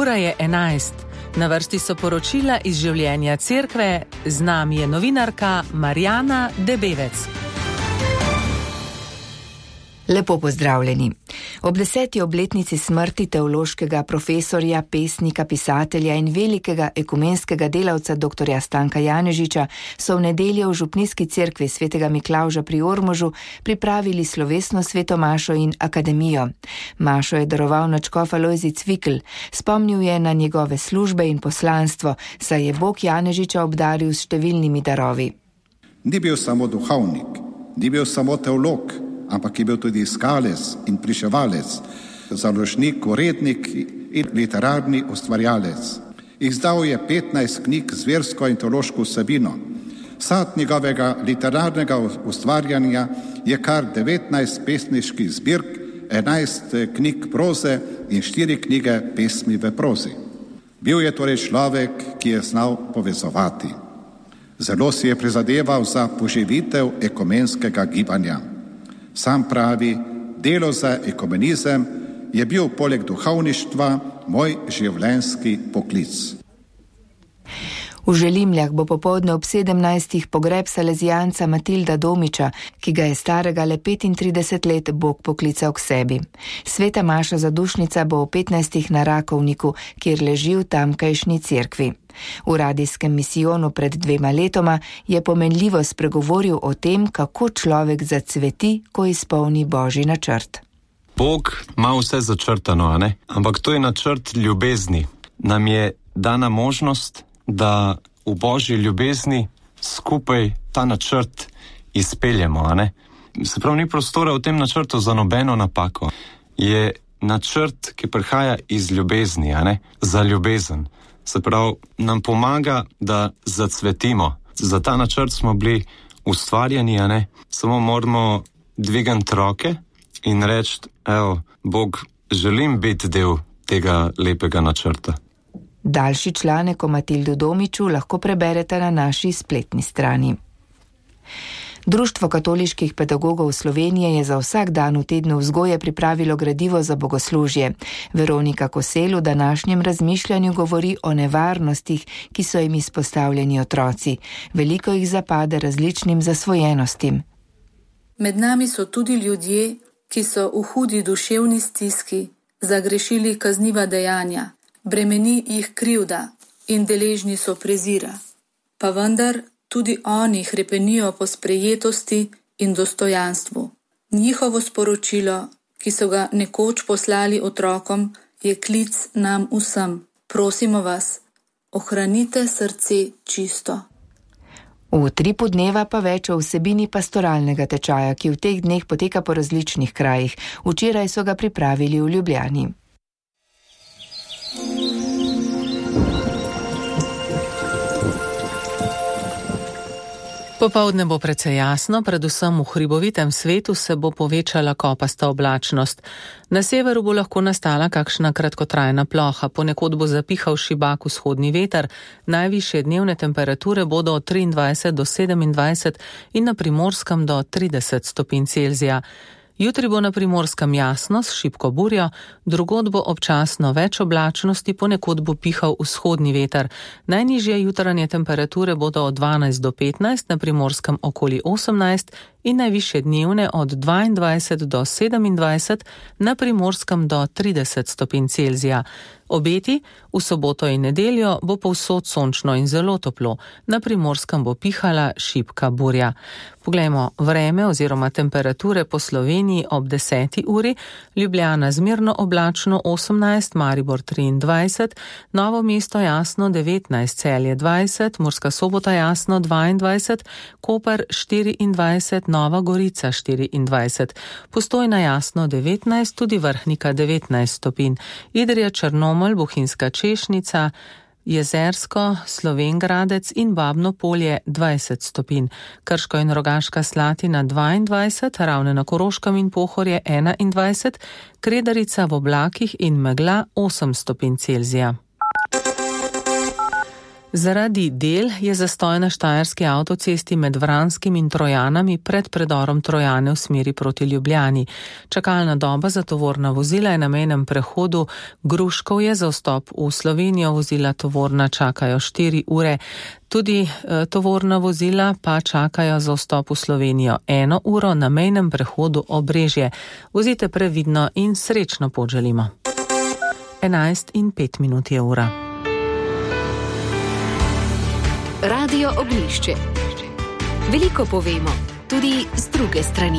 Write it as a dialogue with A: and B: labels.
A: Ura je 11. Na vrsti so poročila iz življenja cerkve, z nami je novinarka Marjana Debevec.
B: Lepo pozdravljeni. Ob 10. obletnici smrti teološkega profesorja, pesnika, pisatelja in velikega ekumenskega delavca dr. Stanka Janežiča so v nedeljo v župnijski cerkvi svetega Miklavža pri Ormožu pripravili slovesno sveto mašo in akademijo. Mašo je daroval nadškof Alojzij Cvikl, spomnil je na njegove službe in poslanstvo, saj je Bog Janežiča obdaril s številnimi darovi.
C: Ni bil samo duhovnik, ni bil samo teolog, ampak je bil tudi iskalec in priševalec, založnik, urednik in literarni ustvarjalec. Izdal je 15 knjig z versko in teološko vsebino. Sad njegovega literarnega ustvarjanja je kar 19 pesniških zbirk, 11 knjig proze in 4 knjige pesmi v prozi. Bil je torej človek, ki je znal povezovati. Zelo si je prizadeval za poživitev ekumenskega gibanja. Sam pravi, delo za ekumenizem je bil poleg duhovništva moj življenjski poklic.
B: V Želimljah bo popoldne ob 17. pogreb salezijanca Matilda Domiča, ki ga je starega le 35 let Bog poklical k sebi. Sveta maša zadušnica bo ob 15. na Rakovniku, kjer leži v tamkajšnji cerkvi. V radijskem misijonu pred 2 letoma je pomenljivo spregovoril o tem, kako človek zacveti, ko izpolni Božji načrt.
D: Bog ima vse začrtano, a ne? Ampak to je načrt ljubezni. Nam je dana možnost, da v Božji ljubezni skupaj ta načrt izpeljemo, a ne? Se pravi, ni prostora v tem načrtu za nobeno napako. Je načrt, ki prihaja iz ljubezni, a ne? Za ljubezen. Se pravi, nam pomaga, da zacvetimo. Za ta načrt smo bili ustvarjeni, a ne? Samo moramo dvigati roke in reči, evo, Bog, želim biti del tega lepega načrta.
B: Daljši članek o Matildu Domiču lahko preberete na naši spletni strani. Društvo katoliških pedagogov Slovenije je za vsak dan v tednu vzgoje pripravilo gradivo za bogoslužje. Veronika Kosel v današnjem razmišljanju govori o nevarnostih, ki so jim izpostavljeni otroci. Veliko jih zapade različnim zasvojenostim.
E: Med nami so tudi ljudje, ki so v hudi duševni stiski zagrešili kazniva dejanja, bremeni jih krivda in deležni so prezira. Pa vendar tudi oni hrepenijo po sprejetosti in dostojanstvu. Njihovo sporočilo, ki so ga nekoč poslali otrokom, je klic nam vsem. Prosimo vas, ohranite srce čisto.
B: V Tripu dneva pa več o vsebini pastoralnega tečaja, ki v teh dneh poteka po različnih krajih. Včeraj so ga pripravili v Ljubljani.
A: Popoldne bo precej jasno, predvsem v hribovitem svetu se bo povečala kopasta oblačnost. Na severu bo lahko nastala kakšna kratkotrajna ploha, ponekod bo zapihal šibak vzhodni veter, najvišje dnevne temperature bodo od 23 do 27 in na Primorskem do 30 stopinj Celzija. Jutri bo na Primorskem jasno s šibko burjo, drugod bo občasno več oblačnosti, ponekod bo pihal vzhodni veter. Najnižje jutranje temperature bodo od 12 do 15, na Primorskem okoli 18 in najvišje dnevne od 22 do 27, na Primorskem do 30 stopinj Celzija. Obeti, v soboto in nedeljo bo povsod sončno in zelo toplo, na Primorskem bo pihala šibka burja. Poglejmo vreme oziroma temperature po Sloveniji ob 10. uri, Ljubljana zmerno oblačno 18, Maribor 23, Novo mesto jasno 19, Celje 20, Murska Sobota jasno 22, Koper 24, Nova Gorica 24, Postojna jasno 19, tudi Vrhnika 19 stopinj, Idrija, Črnomelj, Bohinjska Češnica, Jezersko, Slovenj Gradec in Babno Polje 20 stopinj, Krško in Rogaška Slatina 22, Ravne na Koroškem in Pohorje 21, Kredarica v oblakih in megla 8 stopinj Celzija. Zaradi del je zastoj na štajerski avtocesti med Vranskim in Trojanami pred predorom Trojane v smeri proti Ljubljani. Čakalna doba za tovorna vozila je na mejnem prehodu Gruškovje. Za vstop v Slovenijo vozila tovorna čakajo 4 ure. Tudi tovorna vozila pa čakajo za vstop v Slovenijo 1 uro na mejnem prehodu Obrežje. Vozite previdno in srečno pot želimo. 11:05 je ura.
F: Radio Oglišče. Veliko povemo, tudi z druge strani.